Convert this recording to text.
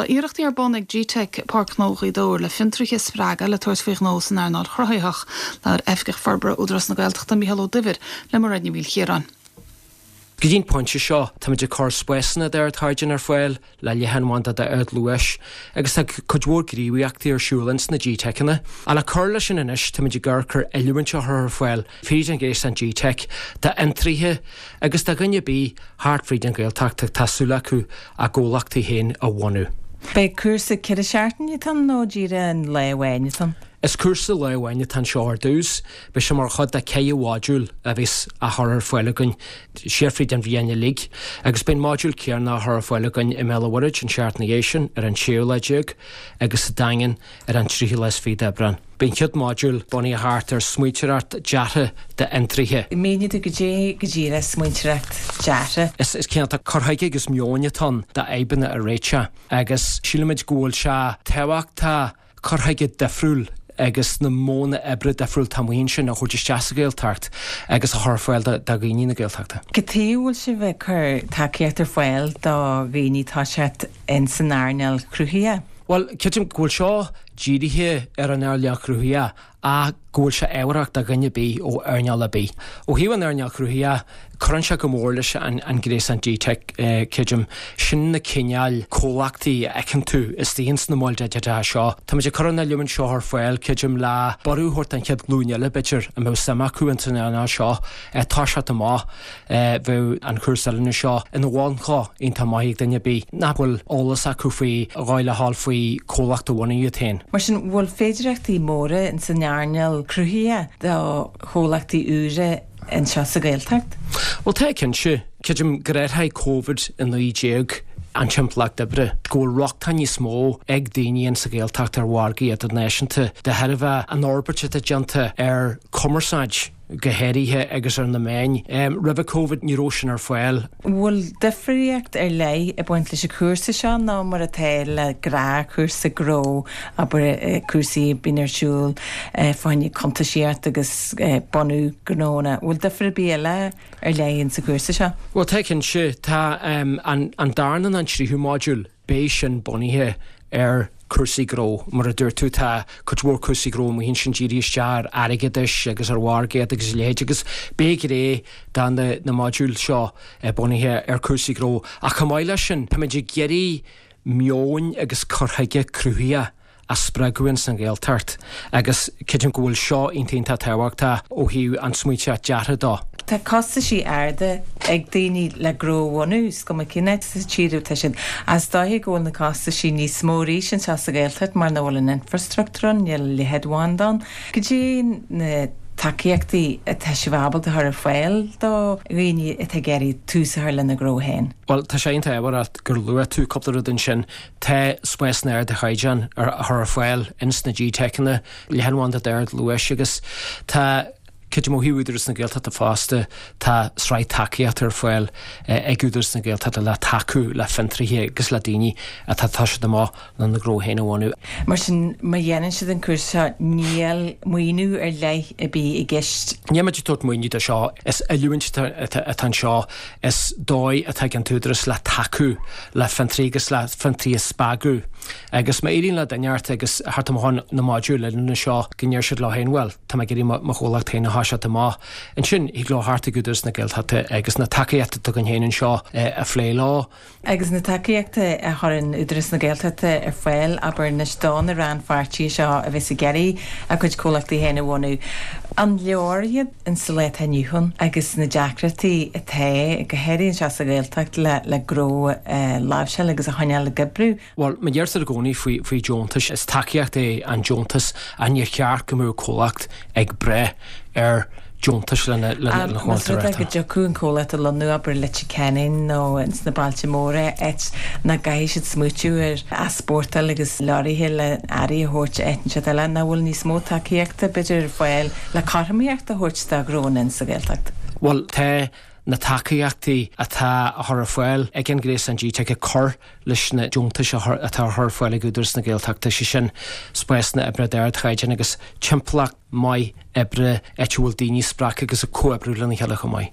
Tá iarrachtaí ar bun ag GTeic, Páirc Ghnó Ghaoth Dobhair le fiontraithe a spreagadh le tabhairt faoi ghnó san earnáil chruthaitheach. Labhair Oifigeach Forbartha Údarás na Gaeltachta, Mícheál Ó Duibhir, le Mairéad Ní Mhaoilchiaráin. Go dtí an pointe seo, táimid ag cur spásanna d'ardchaighdeán ar fáil le leathanbhanda d'ardluais agus tá cuid mhór gníomhaíochtaí ar siúl ins na GTeiceanna. Ach le cur leis sin anois, táimid ag amharc ar oiliúint a chur ar fáil fríd an ghréasán GTeic d'fhiontraithe agus do dhuine ar bith thart fríd an Ghaeltacht atá súil acu a gcomhlachtaí féin a bhunú. Beidh cúrsa 4 seachtaine atá ann nó díreach an lá amháin atá ann? Is cúrsa lá amháin atá anseo ar dtús. Beidh sé mar chuid de 4 mhodúl a bheas á chur ar fáil againn siar fríd an bhliain uilig agus beidh an modúl céanna á chur ar fáil againn i mBéal an Mhuirthead an seachtain ina dhiaidh sin ar an séú lá déag agus sa Daingean ar an tríú lá is fiche d'Aibreán. Beidh an chéad modúl bunaithe thart ar smaointeoireacht deartha d'fhiontraithe. Mínigh domh goidé go díreach smaointeoireacht deartha. Is cineál de cur chuige agus meoin atá ann d'fhadhbanna a réiteach agus sílimid go bhfuil sé tábhachtach cur chuige difriúil agus na modhanna oibre difriúil atá amuigh ansin a thabhairt isteach sa Ghaeltacht agus a chur ar fáil do dhaoine na Gaeltachta. Cad chuige a bhfuil sibh ag cur tacaíocht ar fáil do dhaoine toiseacht ins an earnáil chruthaitheach? Bhuel, creidim go bhfuil seo dírithe ar an earnáil chruthaitheach ach go bhfuil sé ábharach do dhuine ar bith ó earnáil ar bith. Ó thaobh an earnáil chruthaitheach, cuireann sé go mór leis an gréasán GTeic, creidim. Sin na cineáil comhlachtaí a fheiceann tú istigh ins na moil digiteacha seo. Táimid ag cur an oiliúint seo ar fáil, creidim, le borradh a thabhairt don chéad ghlúin eile, b'fhéidir, a mbeadh suim acu ins an earnáil seo toiseacht amach. Bheadh an cúrsa oiliúna seo ina bhunchloch iontach maith ag duine ar bith nach bhfuil eolas acu faoi dhóigh le dhul faoi chomhlacht a bhunú iad féin. Mar sin, bhfuil féidireachtaí móra ins an earnáil cruthaitheach do chomhlachtaí úra anseo sa Ghaeltacht? Bhuel, tá cinnte. Creidim gur athraigh Covid-19 an timpeallacht oibre, go bhfuil rochtain níos mó ag daoine insa Ghaeltacht ar mhargaí idirnáisiúnta de thairbhe an fhorbairt atá déanta ar chumarsáid. go háirithe agus ar na meáin. Roimhe Covid ní raibh sin ar fáil. Bhfuil difríocht ar leith ag baint leis an chúrsa seo ná mar atá le gnáthchúrsa gnó, abair cúrsaí a bíonn ar siúl fá choinne cuntasaíocht agus bunú gnónna. Bhfuil difear ar bith eile ar leith insa chúrsa seo? Bhuel tá cinnte. Tá an darna nó an tríú modúl. Beidh sin bunaithe ar chúrsaí gnó. Mar a dúirt tú, tá cuid mhór cúrsaí gnó amuigh ansin dírithe isteach ar airgeadais agus ar mhargaíocht agus a leithéid agus beidh gné de na modúil seo bunaithe ar chúrsaí gnó. Ach chomh maith leis sin, táimid ag iarraidh meoin agus cur chuige cruthaitheach a spreagadh ins an Ghaeltacht agus creidim go bhfuil seo iontach iontach tábhachtach ó thaobh an smaointeoireacht deartha dó. Tá costaisí arda ag daoine le gnó a bhunú, is cuma cén áit sa tír atá siad. Ach is dóiche go bhfuil na costaisí níos mó arís anseo sa Ghaeltacht mar nach bhfuil an infrastruchtúr ann, níl leathanbhanda ann. Cad é na tacaíochtaí atá sibh ábalta a chur ar fáil do dhaoine atá ag iarraidh tús a chur lena ngnó féin? Bhuel, tá sé iontach ábharach gur luaigh tú cúpla rud ansin. Tá spásanna ardchaighdeáin á chur ar fáil ins na GTeiceanna, leathanbhanda d'ardluais agus tá, creidim ó thaobh Údarás na Gaeltachta fosta, tá sraith tacaíochta ar fáil ag Údarás na Gaeltachta le tacú le fiontraithe agus le daoine atá ag toiseacht amach lena ngnó féin a bhunú. Mar sin, má dhéanann siad an cúrsa seo, níl maoiniú ar leith ar bith i gceist? Níl muid ag tabhairt maoiniú do seo, is oiliúint atá anseo. Is dóigh atá ag an tÚdarás le tacú le fiontraí agus le fiontraí a spreagadh. Agus má éiríonn le duine inteacht agus theacht amach ó na modúil oiliúna seo go ndeir siad leo féin bhuel, tá mé ag iarraidh mo chomhlacht féin a thoiseacht amach. Ansin, thig leo theacht ag Údarás na Gaeltachta agus na tacaíochtaí atá againn féin anseo a phlé leo. Agus na tacaíochtaí a chuireann Údarás na Gaeltachta ar fáil, abair anois do na rannpháirtithe seo a bheas ag iarraidh a gcuid comhlachtaí féin a bhunú, an leor iad in sa lá atá inniu ann agus na deacrachtaí atá, go háirithe anseo sa Ghaeltacht, le le gnó a láimhseáil agus a choinneáil ag oibriú? Bhuel, mar a deirtear i gcónaí faoi faoi deontais, is tacaíocht é an deontas ach níor cheart go mbeadh comhlacht ag brath ar deontais lena Más chomhlacht a rud é go dtiocfadh an comhlacht a lonnú, abair, i Leitir Ceanainn nó ins na bailte móra, áit nach gcaithfidh siad smaoitiú ar easpórtáil agus leoraithe le earraí a thabhairt áit inteacht eile, nach bhfuil níos mó tacaíochta, b'fhéidir, ar fáil le cothromaíocht a thabhairt do ghnónna ins sa Ghaeltacht? Bhuel, tá na tacaíochtaí atá á chur ar fáil ag an Ghréasán GTeic ag cur leis na deontais atá á chur ar fáil ag Údarás na Gaeltachta, sé sin, spásanna oibre d'ardchaighdeán agus timpeallacht maith oibre áit a bhfuil daoine spreagtha agus ag comhoibriú lena chéile chomh maith.